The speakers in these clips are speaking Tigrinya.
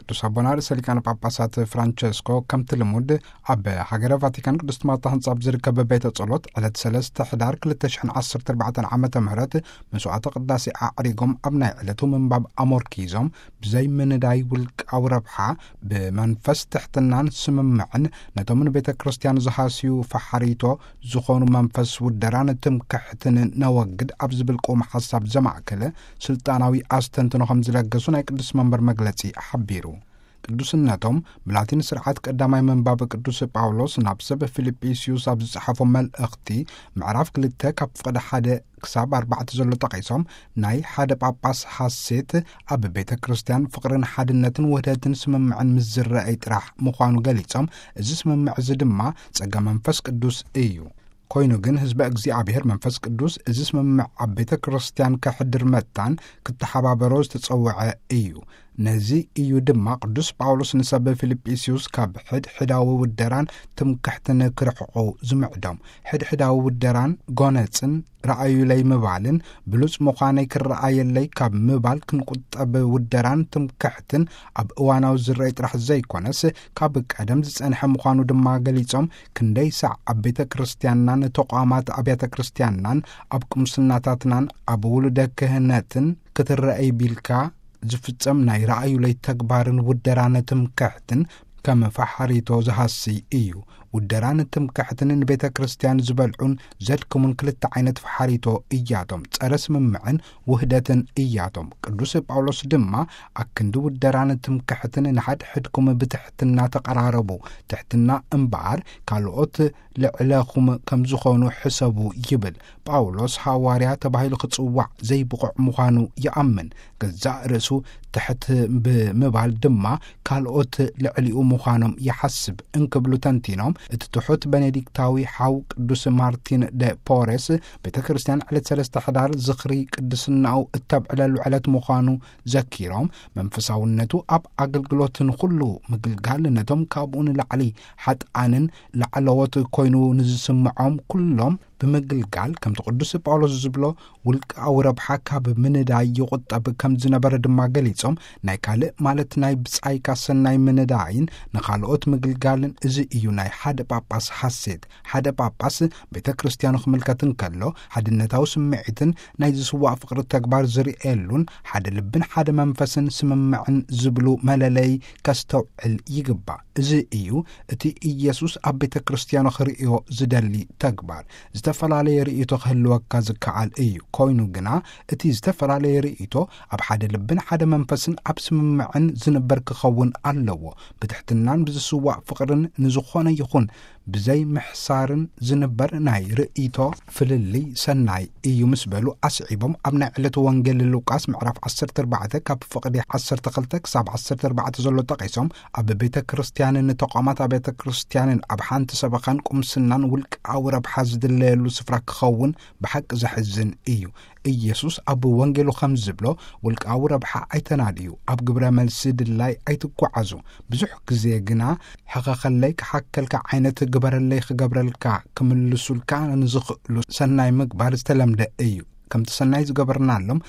ቅዱስ ኣቦና ርእሰ ሊቃነ ጳጳሳት ፍራንቸስኮ፣ ከምቲ ልሙድ፣ ኣብ ሃገረ ቫቲካን ቅድስት ማርታ ህንጻ ኣብ ዝርከብ ቤተ ጸሎት ዕለት ሰለስተ ሕዳር ክልተ ሽሕን ዓሰርተ ኣርባዕተን ዓመተ ምህረት መስዋዕተ ቅዳሴ ኣዕሪጎም፣ ኣብ ናይ ዕለቱ ምንባብ ኣሞርኪዞም፣ ብዘይ ምንዳይ ውልቃዊ ረብሓ፣ ብመንፈስ ትሕትናን ስምምዕን ነቶም ንቤተ ክርስቲያን ዝሃስዩ ፈሓሪቶ ዝኾኑ መንፈስ ውደራን ትምክሕትን ነወግድ ኣብ ዝብል ቅውም ሓሳብ ዘማእከለ ስልጣናዊ ኣስተንትኖ ከም ዝለገሱ ናይ ቅዱስ መንበር መግለጺ ሓቢሩ። ቅዱስነቶም ብላቲን ስርዓት ቀዳማይ ምንባብ ቅዱስ ጳውሎስ ናብ ሰብ ፊልጵስዩስ ኣብ ዝጸሓፎ መልእኽቲ፣ ምዕራፍ ክልተ ካብ ፍቕዲ ሓደ ክሳብ ኣርባዕተ ዘሎ ጠቒሶም፣ ናይ ሓደ ጳጳስ ሓሴት ኣብ ቤተ ክርስቲያን ፍቕርን ሓድነትን ውህደትን ስምምዕን ምስ ዝረአይ ጥራሕ ምዃኑ ገሊጾም፣ እዚ ስምምዕ እዚ ድማ ጸጋ መንፈስ ቅዱስ እዩ። ኮይኑ ግን ህዝበ እግዚኣብሔር መንፈስ ቅዱስ እዚ ስምምዕ ኣብ ቤተ ክርስቲያን ከሕድር መታን ክተሓባበሮ ዝተጸውዐ እዩ። ነዚ እዩ ድማ ቅዱስ ጳውሎስ ንሰብ ፊልጵስዩስ ካብ ሕድሕዳዊ ውደራን ትምክሕትን ክርሕቑ ዝምዕዶም። ሕድሕዳዊ ውደራን ጎነጽን ረኣዩለይ ምባልን ብሉጽ ምዃነይ ክረኣየለይ ካብ ምባል ክንቁጠብ፣ ውደራን ትምክሕትን ኣብ እዋናዊ ዝረአይ ጥራሕ ዘይኮነስ ካብ ቀደም ዝጸንሐ ምዃኑ ድማ ገሊጾም፣ ክንደይ ሳዕ ኣብ ቤተ ክርስቲያንናን ተቋማት ኣብያተ ክርስቲያንናን ኣብ ቅምስናታትናን ኣብ ውሉደ ክህነትን ክትረአይ ቢልካ ዝፍጸም ናይ ረኣዩለይ ተግባርን ውደራን ትምክሕትን ከም ፈሓሪቶ ዝሃሲ እዩ። ውደራን ትምክሕትን ንቤተ ክርስቲያን ዝበልዑን ዘድክሙን ክልተ ዓይነት ፈሓሪቶ እያቶም፣ ጸረ ስምምዕን ውህደትን እያቶም። ቅዱስ ጳውሎስ ድማ፣ ኣክንዲ ውደራን ትምክሕትን ንሓድሕድኩም ብትሕትና ተቐራረቡ፣ ትሕትና እምበኣር ካልኦት ልዕለኹም ከም ዝኾኑ ሕሰቡ ይብል። ጳውሎስ ሃዋርያ ተባሂሉ ክጽዋዕ ዘይብቑዕ ምዃኑ ይኣምን። ገዛእ ርእሱ ትሕት ብምባል ድማ ካልኦት ልዕሊኡ ምዃኖም ይሓስብ እንክብሉ ተንቲኖም፣ እቲ ትሑት ቤኔዲክታዊ ሓው ቅዱስ ማርቲን ደ ፖሬስ፣ ቤተ ክርስቲያን ዕለት ሰለስተ ሕዳር ዝኽሪ ቅድስናኡ እተብዕለሉ ዕለት ምዃኑ ዘኪሮም፣ መንፈሳውነቱ ኣብ ኣገልግሎት ንኹሉ ምግልጋል፣ ነቶም ካብኡ ንላዕሊ ሓጥኣንን ላዕለዎት ኮይኑ ንዝስምዖም ኩሎም ብምግልጋል፣ ከምቲ ቅዱስ ጳውሎስ ዝብሎ፣ ውልቃዊ ረብሓ ካብ ምንዳይ ይቑጠብ ከም ዝነበረ ድማ ገሊጾም፣ ናይ ካልእ ማለት ናይ ብጻይካ ሰናይ ምንዳይን ንኻልኦት ምግልጋልን፣ እዚ እዩ ናይ ሓደ ጳጳስ ሓሴት። ሓደ ጳጳስ ቤተ ክርስቲያኑ ክምልከት እንከሎ፣ ሓድነታዊ ስምዒትን ናይ ዝስዋእ ፍቕሪ ተግባር ዝርእየሉን፣ ሓደ ልብን ሓደ መንፈስን ስምምዕን ዝብሉ መለለይ ከስተውዕል ይግባእ። እዚ እዩ እቲ ኢየሱስ ኣብ ቤተ ክርስቲያኑ ክርእዮ ዝደሊ ተግባር። ዝተፈላለየ ርእይቶ ክህልወካ ዝከኣል እዩ። ኮይኑ ግና፣ እቲ ዝተፈላለየ ርእይቶ ኣብ ሓደ ልብን ሓደ መንፈስን ኣብ ስምምዕን ዝንበር ክኸውን ኣለዎ። ብትሕትናን ብዝስዋእ ፍቕርን ንዝኾነ ይኹን ብዘይ ምሕሳርን ዝንበር ናይ ርእይቶ ፍልልይ ሰናይ እዩ ምስ በሉ ኣስዒቦም፣ ኣብ ናይ ዕለቱ ወንጌል ሉቃስ ምዕራፍ ዓሰርተ ኣርባዕተ ካብ ፍቕዲ ዓሰርተ ክልተ ክሳብ ዓሰርተ ኣርባዕተ ዘሎ ጠቒሶም፣ ኣብ ቤተ ክርስቲያንን ተቋማት ኣብያተ ክርስቲያንን ኣብ ሓንቲ ሰበኻን ቁምስናን ውልቃዊ ረብሓ ዝድለየሉ ስፍራ ክኸውን ብሓቂ ዘሕዝን እዩ። ኢየሱስ ኣብ ወንጌሉ ከም ዝብሎ፣ ውልቃዊ ረብሓ ኣይተናድዩ፣ ኣብ ግብረ መልሲ ድላይ ኣይትጓዓዙ። ብዙሕ ግዜ ግና፣ ሕኸኸለይ ክሓከልካ ዓይነት፣ ግበረለይ ክገብረልካ ክምልሱልካ ንዝኽእሉ ሰናይ ምግባር ዝተለምደ እዩ። ከምቲ ሰናይ ዝገበርናሎም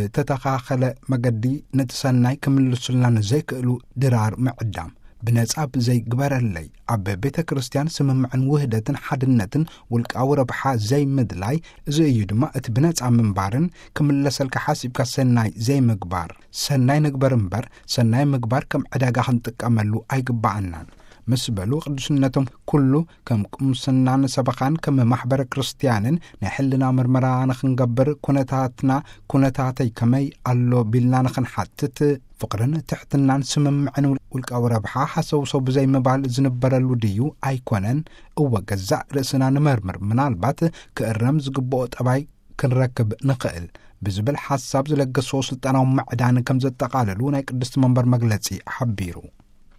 ብተተኻኸለ መገዲ ነቲ ሰናይ ክምልሱልና ንዘይክእሉ ድራር ምዕዳም። ብነጻ ብዘይ ግበረለይ፣ ኣብ ቤተ ክርስቲያን ስምምዕን ውህደትን ሓድነትን ውልቃዊ ረብሓ ዘይምድላይ፣ እዚ እዩ ድማ እቲ ብነጻ ምንባርን ክምለሰልካ ሓሲብካ ሰናይ ዘይምግባር። ሰናይ ንግበር እምበር፣ ሰናይ ምግባር ከም ዕዳጋ ክንጥቀመሉ ኣይግባኣናን። ምስ በሉ፣ ቅዱስነቶም ኩሉ ከም ቁምስናን ሰበኻን ከም ማሕበረ ክርስቲያንን ናይ ሕልና ምርመራ ንኽንገብር ኩነታትና፣ ኩነታተይ ከመይ ኣሎ ቢልና ንኽንሓትት፣ ፍቕርን ትሕትናን ስምምዕን ውልቃዊ ረብሓ ሃሰውሰው ብዘይምባል ዝንበረሉ ድዩ ኣይኮነን? እወ፣ ገዛእ ርእስና ንመርምር፣ ምናልባት ክእረም ዝግብኦ ጠባይ ክንረክብ ንኽእል ብዝብል ሓሳብ ዝለገስዎ ስልጣናዊ ምዕዳን ከም ዘጠቓለሉ ናይ ቅድስቲ መንበር መግለጺ ሓቢሩ።